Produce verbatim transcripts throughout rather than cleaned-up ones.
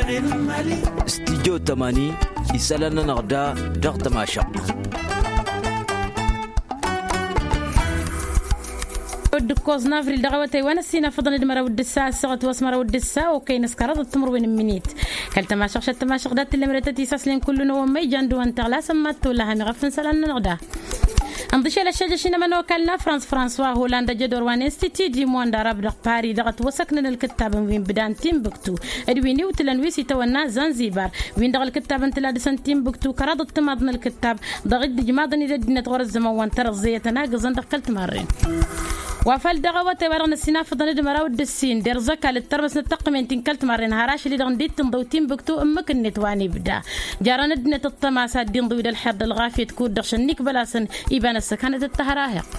Studyo tămani isălan-nănăɣ da dăɣ-tămašăɣt. Dd-ǝkkoẓ n-avril dăɣ-awătay wa n-ăssinafăḍăn d-măraw d-ǝssa ăssaɣăt wa s-măraw d-ǝssa okăyăn s-kăraḍăt timǝrwen n-imǝnit. Kăl-tămašăɣšăt tămašăɣ dat-tǝllăm d-tăt-isaslen kullu n-awămmăy jan d-uwăn tăɣlasăm mad-tolla ham iɣăf n-isălan-nănăɣ da. Ǝnḍǝšel ăššăjăš inămănokal n-afrans françois holand ăjădor wa n-institut du monde arab dăɣ-pari dăɣ-ătwăsăknăn ǝlkǝttabăn wi n-bǝda n-tinbǝktu d-wi n-iwtǝlăn wi s-itawănna zanzibar win-dăɣ ǝlkǝttab n-tǝla dăr-săn tinbǝktu kăraḍăt timaḍ n-ălkǝttab dăɣ-dd-ǝjmaḍăn-dd ăddinăt ɣur-ăzzăman wa n-tărăẓẓe i-tănagǝẓăn dăɣ-kăl-timarren. Wa făl dăɣ-awătay wa dăɣ-năssinafăḍăn d-măraw d-ǝssin derẓ ăkall d-tărmăs n-ăttăqqǝmen ti n-kăl-timarren har ašăl-i-dăɣ ǝndi t-inḍăw tinbǝktu ǝmmǝk-net wa n-ibda jarăn ăddinăt ăṭṭăma s-ad-dd-inḍǝw-dd ălxer d-ălɣafyăt kud-dăɣ šănnik bălasăn iba n-ăssăkanăt d-tahăraheɣt.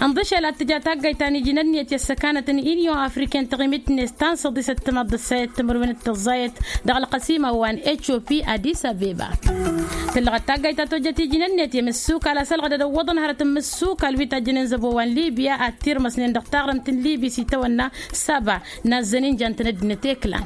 Ǝnḍǝšel ad-tǝja taggayt ta n-iji n-ănniyăt i-ăssăkanăt n-inyon afriken taɣimit-net ta n-săḍisăt timaḍ d-ăssayăt timǝrwen d-tăẓẓayăt dăɣ-ălqăsima wa n-etiopi adis abeba. Tǝllăɣăt taggayt ta tojjăt iji n-ănniyăt i-imǝssukal a-s ălɣădăd ăwwăḍăn hărăt n-imǝssukal wi tajjănen zăbo wa n-libya ad-tirmăsnen dăɣ-taɣrǝmt n-libi s-itawănna saba n-azzăn inja n-tăn-ăddinăt eklan.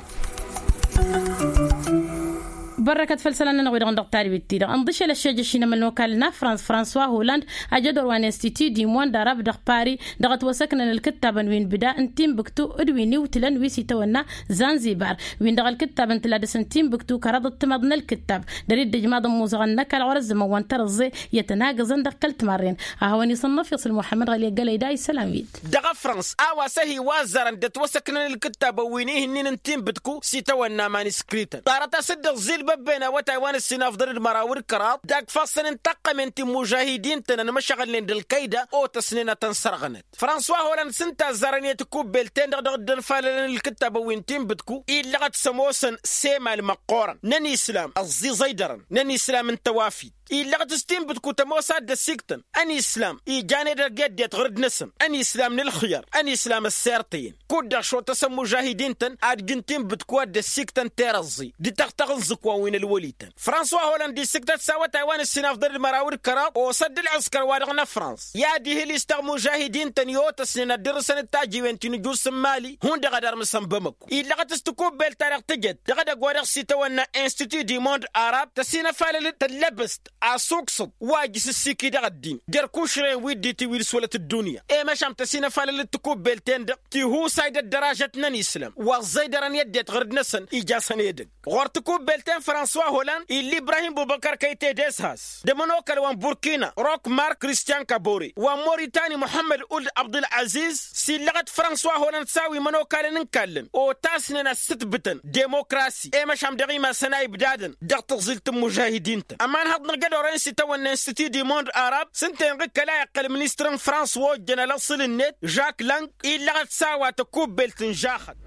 Bărrăkăt făll-isălan-nănăɣ wi-dăɣ n-dăɣ tadwit-ti-dăɣ ǝnḍǝšel ăššejăš i-inămănokal n-afrans françois holand ajădor wa n-institut du monde arab dăɣ-pari dăɣ-ătwăsăknăn ǝlkǝttabăn wi n-bǝda n-tinbǝktu d-wi n-iwtǝlăn wi s-itawănna zanzibar win-dăɣ ǝlkǝttab n-tǝla dăr-s n-tinbǝktu kăraḍăt timaḍ n-ălkǝttab dăr-dd-ǝjmaḍ n-imuzăɣăn n-ăkall ɣur-ăzzămăn wa n-tărăẓẓe i-tănagǝẓăn dăɣ-kăl-timarren. Ad-hawăn-isănnăf iṣǝl muḥămmăd ɣăli ăggălăy da isălan-wit. Dăɣ-afrăns a-wa s-ehi wa ăzzarăn dd-ătwăsăknăn ǝlkǝttabăn wi n-ihǝnnin n-tinbǝtku s-itawănna maniskrităn ḍarăt-as-dd ăẓẓilbăbben awătay wa n-ǝssin afḍăn d-măraw d-kăraḍ d-agfassăn n-taqqămen ti n-imužahidin-tăn ănmăšăɣălnen d-ălkăyda otăsnen ad-tăn-sărɣănăt. François holand s-ǝnta a ăzzarăn i-tikubbelt-ten-dăɣ dăɣ-dd-ălfalălăn ǝlkǝttabăn wi n-tinbǝtku illăɣăt s-ămoosăn s-emal măqqoorăn n-ănislam ăẓẓiẓăydărăn n-ănislam n-tawafit. Illăɣăt s-tinbǝtku tămoos ad-dd-ăssiktăn ănislam ijan edăgg i-ăddinăt ɣur-dd-năsăn ănislam n-ǝlxǝyăr ănislam ăssirtăyăn kud-dăɣ šotăsăn imužahidin-tăn ad-jǝn tinbǝtku ad-dd-ăssiktăn terăẓẓi d-tăɣtăɣ n-iẓǝkwan wi n-ălwăli-tăn. François holand issǝktăt s-awătay wa n-ǝssinafḍăn d-măraw d-kăraḍ osăt d-ǝlɣǝskăr-wa-dăɣ n-afrans i-ad-ihǝl-i s-taɣmužahidin-tăn i-otăsnen ad-dd-ǝrrǝsăn d-tajǝwen ti n-ǝjus n-imali hundăɣ ad-ărmǝsăn bămăko. Illăɣăt s-tikubbelt-ta-dăɣ tǝjăt dăɣ-edăgg wa dăɣ-s itawănna institut du monde arab tăsinăfalăl-dd tăllăbăst asuksǝḍ wa ijǝs ǝssiki dăɣ-ăddin d-erk ušrăyăn wi dd-itiwǝy d-iswălăt ăddunya. I-măšan tăsinăfalăl-dd tikubbelt-en-dăɣ tihusay d-ăddăražăt n-ănislam wa ăẓẓăydărăn i-ăddinăt ɣur-dd-năsăn ija-săn edăgg ɣur-tikubbelt-en françois holand ill'-i ibrahim bubăkăr kăyte d-eshas d-ămănokal wa n-burkina rok mark kristian kabore wa n-moritani muḥămmăd uld abdul-aziz s-illăɣăt françois holand s-a-wi imănokalăn n-kallăn otasnen ad-sǝtbǝtăn demokrasi i-măšan dăɣ-imasăn a ibdadăn dăɣ-tăẓilt n-imužahidin-tăn. Ămanhăḍ n-ăjădor-en s-itawănna institut du monde arab s-ǝnta-en-dăɣ kăla iqqăl ministăr n-frans wa ojjăn alăṣṣǝl-net žak lang illăɣăt s-a-wa tăkubbelt n-žaxăt.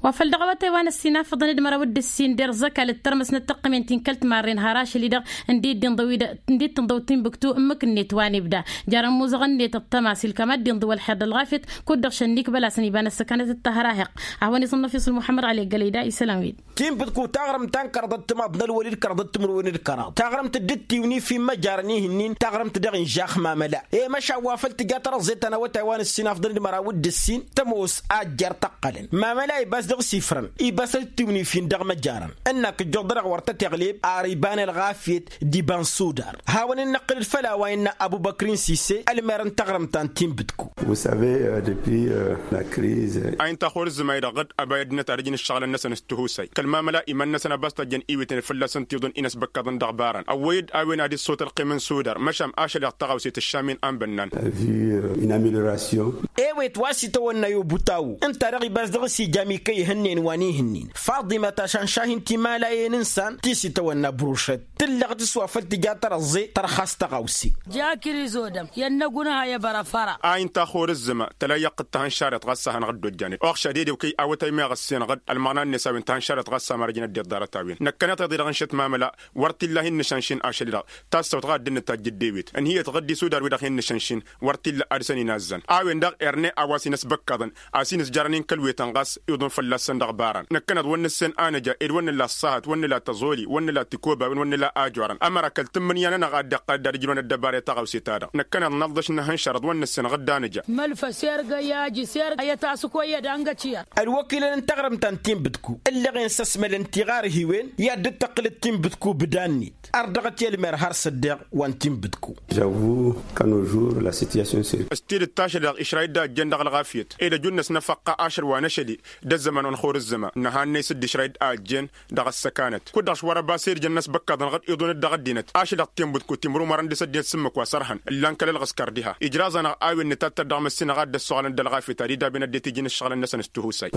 Wa făl dăɣ-awătay wa n-ăssinafăḍăn d-măraw d-ǝssin derẓ ăkall d-tărmăs n-ăttăqqǝmen ti n-kăl-timarren har ašăl-i-dăɣ ǝndi dd-tǝnḍăw tinbǝktu ǝmmǝk-net wa n-ibda jarăn imuzăɣăn-net ăṭṭăma s-ilkam ad-dd-inḍǝw ălxer d-ălɣafyăt kud-dăɣ šănnik bălasăn iba n-ăssăkanăt d-tahăraheɣt. Ad-hawăn-isǝnnăf isǝl muḥămmăd ɣali ăggălăy da isălan-win. Tinbǝtku taɣrǝmt ta n-kăraḍăt timaḍ n-ălwăli d-kăraḍăt timǝrwen d-kăraḍ taɣrǝmt dd-tiwǝnif immăjarăn ihǝnnin taɣrǝmt daɣ inžax mamăla. I-măšan wa făl tǝja tărăẓẓe ta n-awătay wa n-ǝssin afḍăn d-măraw d-ǝssin tămoos a ăjjeer tăqqălăn mamăla ibas dăɣ-s ifrăn ibas ad-tiwǝnif-in dăɣ-măjarăn. Ǝnnak ǝjjuḍ-dăɣ wăr tăteɣleb ar iba n-ălɣafyăt d-iba n-sudar. Hawăn-in-năqqǝlăd făll-a-wa innă ăbubăkrin sise ălmer n-taɣrǝmt ta n-tinbǝtku. Vous savez, depuis la crise. A inta xor ǝzzǝmay-dăɣ dd-ăba i-ăddinăt ad-ǝjǝn ǝššăɣǝlăn-năsăn s-tihusay kăl-mamăla iman-năsăn a bass-tajjăn iwǝtnen fălla-săn tiḍǝn-in ăsbăkkaḍăn dăɣ-ibarăn ăwwăy-dd a-wen ad-iṣṣut ălqim n-sudar măšan ašăl-i-dăɣ tăɣawse tǝššam-in a n-bănnan. Vu une amélioration. Ewet wa s-itawănna i-obutawu ǝnta-dăɣ ibas dăɣ-s ija mikăy ihănnen wa n-ihǝnnin faḍimăt ašănšah-in timalayen n-isan ti s-itawănna brušăt tǝllăɣ-t s-wa făl tǝja tărăẓẓe tărxas tăɣawse. Ja krizodăm i-ănnăgunăha i-bărăfăra. A inta xor ǝzzǝma tăla iyyăɣ-t d-tahănšaret ɣas a hanăɣ-dd-ojjanet oɣša dedew kăy awătay meɣ ăssenăɣ-dd ălmăɣna-net a-wen tahănšaret ɣas a-mărăjnăt deḍ ḍarăt-a-wen năkkăneḍ tiḍe-dăɣ n-šăt mamăla. Wăr t-illa hin-nǝšănšin ašăl-i-dăɣ tassăwt ɣas dd-nǝtajj dd-ewet ǝnhǝyăt ɣǝddi sudar-wi-dăɣ hin-nǝšănšin wăr t-illa ad-săn-in-azzăn a-wen-dăɣ erne a-wa s-in-ăsbăkkăḍăn a-s in-ǝzjarăn-in kăl-wetăn ɣas iḍun fălla-săn dăɣ-ibarăn năkkăneḍ wăr nǝssen a nǝja ed wăr nǝla ăṣṣahăt wăr nǝla tăẓ Ẓoli wăr nǝla tikobawen wăr nǝla ajorăn ămăra kăl-tǝmmǝnǝya-nănăɣ a dd-iqqăl dd-ad-ǝjrăwăn ăddăbara i-taɣawse-ta-dăɣ năkkăneḍ năḍḍăš n-ehăn šărăḍ wăr nǝssin ɣǝdda nǝja. Mălfăs ergăy ajǝs ergăy ayăt-asǝkoyăd a ǝngăčiyăr. Ălwăkilăn n-taɣrǝmt ta n-tinbǝdku ǝllăɣen s-ăsmălăn tiɣarhiwen i-ad-dd-tăqqǝlăt tinbǝdku bǝdannit. Ărdăɣăt i-ălmer har s-ăddeɣ wa n-tinbǝdku. Žăwwu kănojur la situation s-tidǝt tašăl-dăɣ išrayǝd a ăjjeen dăɣ-ălɣafyăt ed ăjunn-năsnăfăqqa ašăl wa n-ašăl-i d-ăzzăman wa n-xur ǝzzăma n-ehăn n-e-s dd-išrayǝd a ăjjeen dăɣ-ăssăkanăt kud-dăɣ s-wăr-ăbas irjăn n-ăsbăkkaḍăn ɣǝd iḍunăt dăɣ-ăddinăt ašăl-dăɣ tinbǝdku timrǝw mărăn dăɣ-s ăddinăt s-ǝmmǝk wa sărhăn ǝllan kăl-ălɣǝskăr diha ijraẓ-anăɣ a-wen nǝtattăr dăɣ-măssinăɣ a dd-ăssoɣălăn d-ălɣafyăt ad-idabben ăddinăt iji n-ǝššăɣǝlăn-năsăn s-tihusay.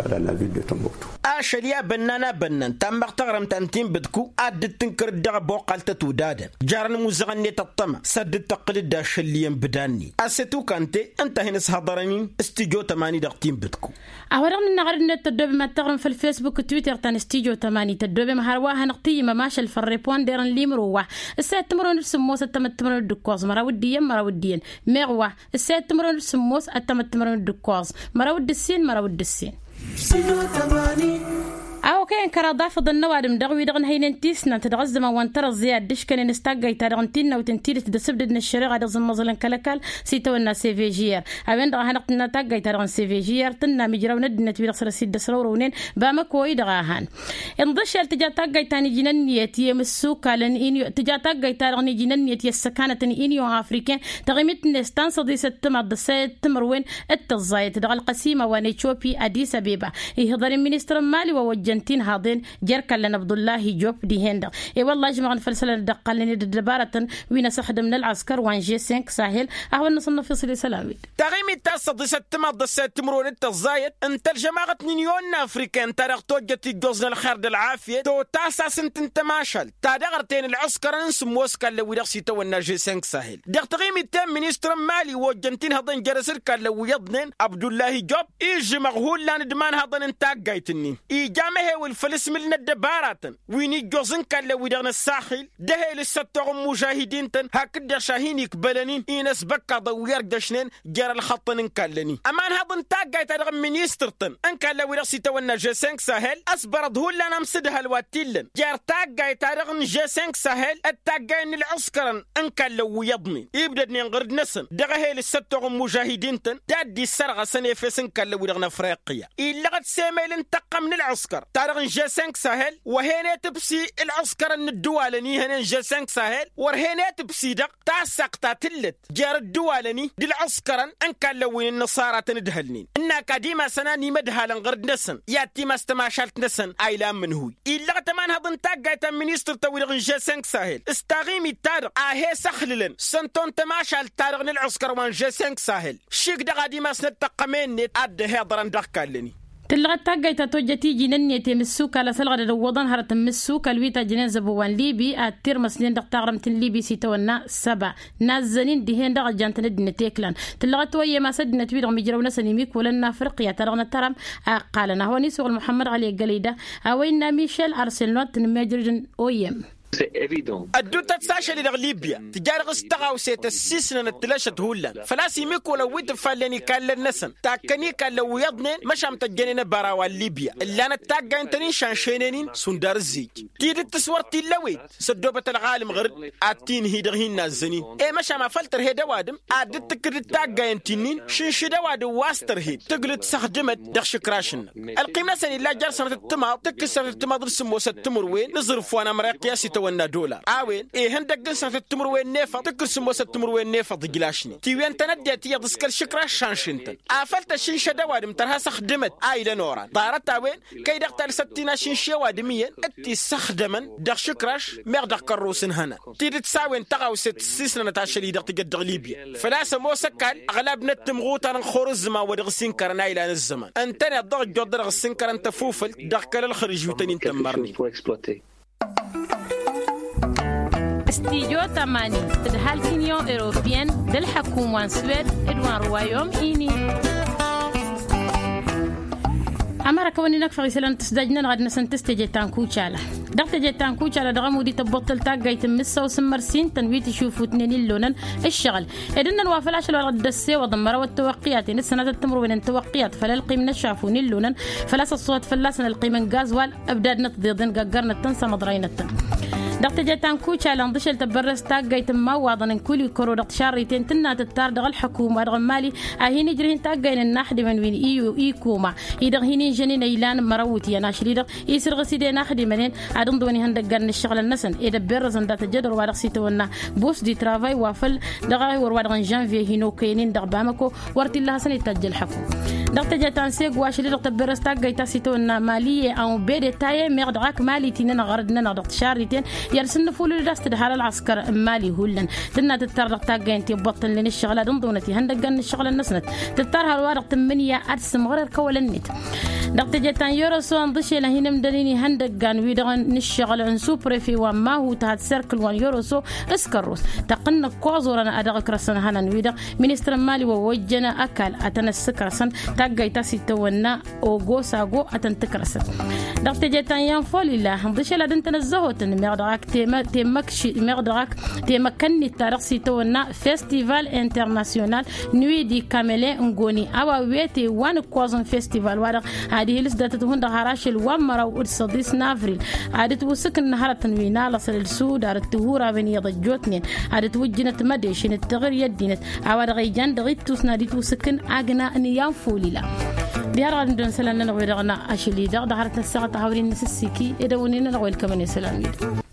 Ašăl i-abănnan abănnan tammăɣ taɣrǝmt ta n-tinbǝdku a dd-tǝnkărăt dăɣ-ăboqqal tătudadăn jarăn imuzăɣăn-net ăṭṭăma s-ad-dd-tăqqǝl-dd ašăl iyyăn bǝdannin. Asetu kante ǝnta a hin-ǝshăḍărăn-in s-tijo tămani dăɣ-tinbǝdku. A-wa-dăɣ nǝnna ɣăr dd-net tăddobem ad-taɣrǝm făll-fesbuk d-twitter ta n-s tijo tămani tăddobem hărwa a hanăɣ-tǝyyǝmăm ašăl făll-reponder n-limro wa ǝssayăt timǝrwen d-sǝmmos ăttămăt timǝrwen d-ǝkkoẓ măraw d-iyyăn măraw d-iyyăn meɣ wa ǝssayăt timǝrwen d-sǝmmos ăttămăt timǝrwen d-ǝkkoẓ măraw d-ǝssin măraw d-ǝssin. A okăyăn kăraḍ afǝḍăn n-ăwadǝm dăɣ-wi-dăɣ n-hăynen tisnant dăɣ-ăzzăman wa n-tărăẓẓe ad-dd-ǝškănen s-taggayt-ta-dăɣ n-tinnawt n-tidǝt d-asǝbdǝd n-ăššăreɣa dăɣ-zǝmmăẓălăn kăl-ăkall s-itawănna s-evžiyăr. A-wen-dăɣ a hanăɣ-tǝnna taggayt-ta-dăɣ n-s-evžiyăr tǝnna mijraw n-ăddinăt wi-dăɣ săr-ăsidăsrăwrăwnen bamăko-i-dăɣ a han. Inḍǝššel tǝja taggayt ta n-iji n-ǝnniyăt i-imǝssukalăn tǝja taggayt-ta-dăɣ n-iji n-ǝnniyăt i-ăssăkanăt n-inyon afriken taɣimit-net ta n-săḍisăt timaḍ d-ăssayăt timǝrwen d-tăẓẓayăt dăɣ-ălqăsima wa n-eciopi adis abeba. Ihǝḍăn-in ministăr n-mali wa ojjăn tinhaḍen jer-kallăn abdullahi job dihen-dăɣ. E-wălla ăžmăɣăn făll-isălan dd-ăqqalnen d-ăddăbarătăn wi n-asăxdăm n-ălɣăskăr wa n-žesink sahel. A hawăn-nǝsǝnnăf isălan-wi-dd. Taɣimit ta s-săḍisăt timaḍ d-ăssayăt timǝrwen d-tăẓẓayăt ǝnta ălžămaɣăt n-inyon n-afrika ǝnta-dăɣ tojjăt ijjoẓ n-ălxer d-ălɣafyăt totasas ǝnta n-tămašalt ta dăɣ-ărtăyăn ălɣăskărăn n-sǝmmos kallăn wi-dăɣ s-itawănna žesink sahel. Dăɣ-taɣimit ta n-ministăr n-mali wa ojjăn tinhăḍen jer-asǝr kallăn wi iyyăḍnen abdullahi job ižžǝmăɣ hullan d-imanhăḍăn n-taggayt-nin ija amăhewǝl făll-asmǝl n-ăddăbaratăn wi n-ijjoẓ n-kallăn-wi-dăɣ n-ăssaxil d-ehel s-săttoɣ n-imužahidin-tăn hakd-dăɣ šahin ikbălăn-in-i n-ăsbăkkaḍăn wi ărjăšnen jer-ălxăṭṭăn n-kallăn-i. Ămanhăḍ n-taggayt-ta-dăɣ n-ministăr-tăn n-kallăn-wi-dăɣ s-itawănna žesink sahel ăsbărăḍ hullan amsǝdhăl wa t-illăn jer-taggayt-ta-dăɣ n-žesink sahel d-taggayăn n-ǝlɣǝskărăn n-kallăn wi iyyăḍnen ibdădnen ɣǝrǝd-năsăn dăɣ-ehel s-săttoɣ n-imužahidin-tăn d-ad-dd-issărɣăsăn efes n-kallăn-wi-dăɣ n-afriqya. Illăɣăt s-emel n-tăqqăm n-ǝlɣǝskăr ta dăɣ-n žesink sahel wăr hen-etǝbsi ǝlɣǝskărăn n-ǝddǝwalăn ihănen žesink sahel wăr hen-etǝbsi dăɣ-tassaɣt ta tǝllăt jer-ǝddǝwalăn-i d-ǝlɣǝskărăn n-kallăn wi n-ǝnnăṣara tăn-ǝdhălnen ǝnn'-ak ad-imasăn a n-imădhalăn ɣăr dd-năsăn i-ad-timas tămašalt-năsăn a ilan mǝnhǝy. Illăɣăt ămanhăḍ n-taggayt ta n-ministăr-tăn-wi-dăɣ n-žesink sahel s-taɣimit-ta-dăɣ a he-săxlǝlăn s-ănto n-tămašalt-ta-dăɣ n-ălɣǝskăr wa n-žesink sahel šik dăɣ-ad-imasnăt tăqqămen-net ad-dd-ăhiḍărăn dăɣ-kallăn-i. Tǝllăɣăt taggayt ta tojjăt iji n-ǝnniyăt i-mǝssukal ăsălɣădăd ǝwwăḍăn hărăt n-mǝssukal wi tajjănen zăbo wa n-libi ad-tirmăsnen dăɣ-taɣrǝmt n-libi s-itawănna săba nazzăn-in dihen dăɣ-ăjjant n-ăddinăt i-klan. Tǝllăɣăt oyyem a-s ăddinăt-wi-dăɣ mijrăw-năsăn imikǝwălăn n-afriqya ta dăɣ-nătărăm a ǝqqalăn ad-hawăn-isuɣǝl muḥămmăd ɣali ăggălăy da a-wa innă mišel arselnot n-mejrǝj n-oyyem. Ădduutăt s-ašăl-i dăɣ-libya tǝja dăɣ-s tăɣawse tăssisnănăt tǝlăšăt hullan făl-a-s imikăwălăn wi tǝffallen ikallăn-năsăn takkăn ikallăn wi iyyăḍnen măšan tăjjănen ăbara wa n-libya ǝllanăt taggayăn-tăn-in šanšenen-in šund arǝzzij. Tidǝt s-wăr t-illa ăwet s-ăddoobăt ălɣalăm ɣăr-dd ad-t-inhǝy dăɣ-hin-nazzăn-in i-măšan a făl tărhed ăwadǝm ad-dd-tǝkkǝdăd taggayăn ti-nin šǝnšǝd ăwadǝm wa s-tărhed tǝglǝd s-ăxdǝmăt dăɣ-išǝkraš-năk. Ălqim-năsăn illa jer-sănătăt timaḍ tǝkkǝs sănătăt timaḍ d-sǝmmosăt timǝrwen n-aẓrǝf wa n-amriqi a-s itawănna dolar a-wen ihăndăgg n-sănătăt timǝrwen n-efăḍ tǝkkǝs sǝmmosăt timǝrwen n-efăḍ ǝjlašnen tiwen tănăddinăt iyyăḍ s-kăl-išǝkraš šanšǝn-tăn. Afăl tăššǝnšăd ăwadǝm tărha s-ăxdǝmăt a ilăn oran ḍarăt-a-wen kăy-dăɣ talsăt ti n-ašǝnši ăwadǝm iyyăn d-ti-ǝssăxdămăn dăɣ-išǝkraš meɣ dăɣ-kărrus n-ihănan. Tidǝt s-a-wen tăɣawse tǝssisnănăt ašăl-i-dăɣ tǝjăt dăɣ-libya făl-a-s ămoos ăkall ăɣlab n-ăttǝmɣutar n-xorǝzzǝma wa dăɣ-s inkărăn a ilan ăzzăman ǝntăneḍ-dăɣ ăjjoḍ-dăɣ ăssinkărăn tăfufǝlt dăɣ-kăl-ălxărǝž wi tăn-in-tămmărnen. Studio tămani tǝdhal tinion europeyăn d-ălḥăkum wa n-swed d-wa n-ruwayom ini. Ămăra kăwăn-in-ăkfăɣ isălan tǝsdaj-nănăɣ ad-năsăn tǝs teje ta n-kucala. Dăɣ-teje ta n-kucala dăɣ-ămud ităbboṭṭăl taggayt n-mǝssa u-sǝmmăr s-intăn wi tǝšufutnen illonăn ǝššăɣǝl. Ed ǝnnăn wa făl ašăl wa dăɣ-dd-ăssewăḍ n-măraw ăttăwăqqiyat-en d-sănatăt timǝrwen n-tăwăqqiyat făll-ălqim n-ăššaf u n-illonăn făl-a-s ăṣṣuhăt fălla-săn ălqim n-gazwal. Ǝbdad-năt ḍeḍen gaggar-năt-tăn s-amăḍray-năt-tăn. Dăɣ-teje ta n-kucala ǝnḍǝšel tăbbărrăst taggayt n-imawwaḍăn n-kulikăro dăɣ-tišarriten tǝnna tǝttar dăɣ-ălḥăkum wa dăɣ-n mali a hin-ijrǝh n-taggaynen n-inaxdimăn wi n-ikuma. I-dăɣ hin-inžănen a ilan măraw wǝtyan ašli-dăɣ isǝrɣǝs-dd inaxdimăn-en ad-ǝnḍǝwăn ihăndăggan n-ǝššăɣǝlăn-năsăn ed ăbberrăzăn dat-ăjjădor wa dăɣ-s itawănna bus di travay wa făl dăɣ-a wăr wa dăɣ-n-žănviye hin-okăyăn-in dăɣ-bamăko. Wăr t-illa hasăn-itajj ălḥăkum. Dăɣ-teje ta n-segu ašli-dăɣ tăbberăs taggayt ta s-itawănna mali e a unbede taye meɣ dăɣ-ak mali tinănăɣ ɣărăd-nănăɣ dăɣ-tišarriten. I-ad-sǝnnǝfulǝl d-a-s tǝdhal ălɣăskăr n-mali hullan tǝnna tǝttar dăɣ-taggayăn ti ăbboṭṭălnen ǝššăɣǝl ad-ǝnḍǝwnăt ihăndăggan n-ǝššăɣǝlăn-năsnăt. Tǝttar hărwa dăɣ-tǝmmǝnǝya ad-sǝmɣăr ărkăwălăn-net. Dăɣ-teje ta n-yoroso ănḍǝšel a hin-ǝmdălin ihăndăggan-wi-dăɣ n-ǝššăɣǝl n-suprefe wa n-mahut had serkǝl wa n-yoroso s-kărros tăqqǝnnăk koẓorăn a dăɣ-ǝkrăsăn hănan-wi-dăɣ ministăr n-mali wa ojjăn ăkall ad-tăn-ăssǝkrăsăn. Taggayt ta s-itawănna ogo sago ad-tăn-tǝkrăsăn. Dăɣ-teje ta n-yanfolila ǝnḍǝšel ad-ǝntăn ăzzăhotăn meɣ dăɣ-ak temăkši meɣ dăɣ-ak temăkkănnit ta dăɣ-s itawănna festival internasyonal n-wi d-ikamele n-goni a-wa wete wa n-ǝkkoẓ n-festival-wa-dăɣ ad-ihǝlǝs datăt hundăɣ har ašăl wa n-măraw d-săḍis n-avril. Ad-ǝtwǝsǝkǝn hărătăn wi n-alăṣăl d-sudar d-tihurawen iyyăḍ ăjjootnen ad-ǝtwǝjjǝnăt mădešen d-taɣǝri i-ăddinăt a-wa dăɣ-ijan dăɣ-ittus n-ad-itwǝsǝkǝn agna n-iyanfulila. Diha-dăɣ ad-ǝndǝwăn isălan-nănăɣ wi-dăɣ n-ašăl-i-dăɣ dăɣ-hărăt n-ăssaɣăt a hawăr-in n-asǝssiki ed ăwǝnnin-nănăɣ welkămăn isălan-wi-dăɣ.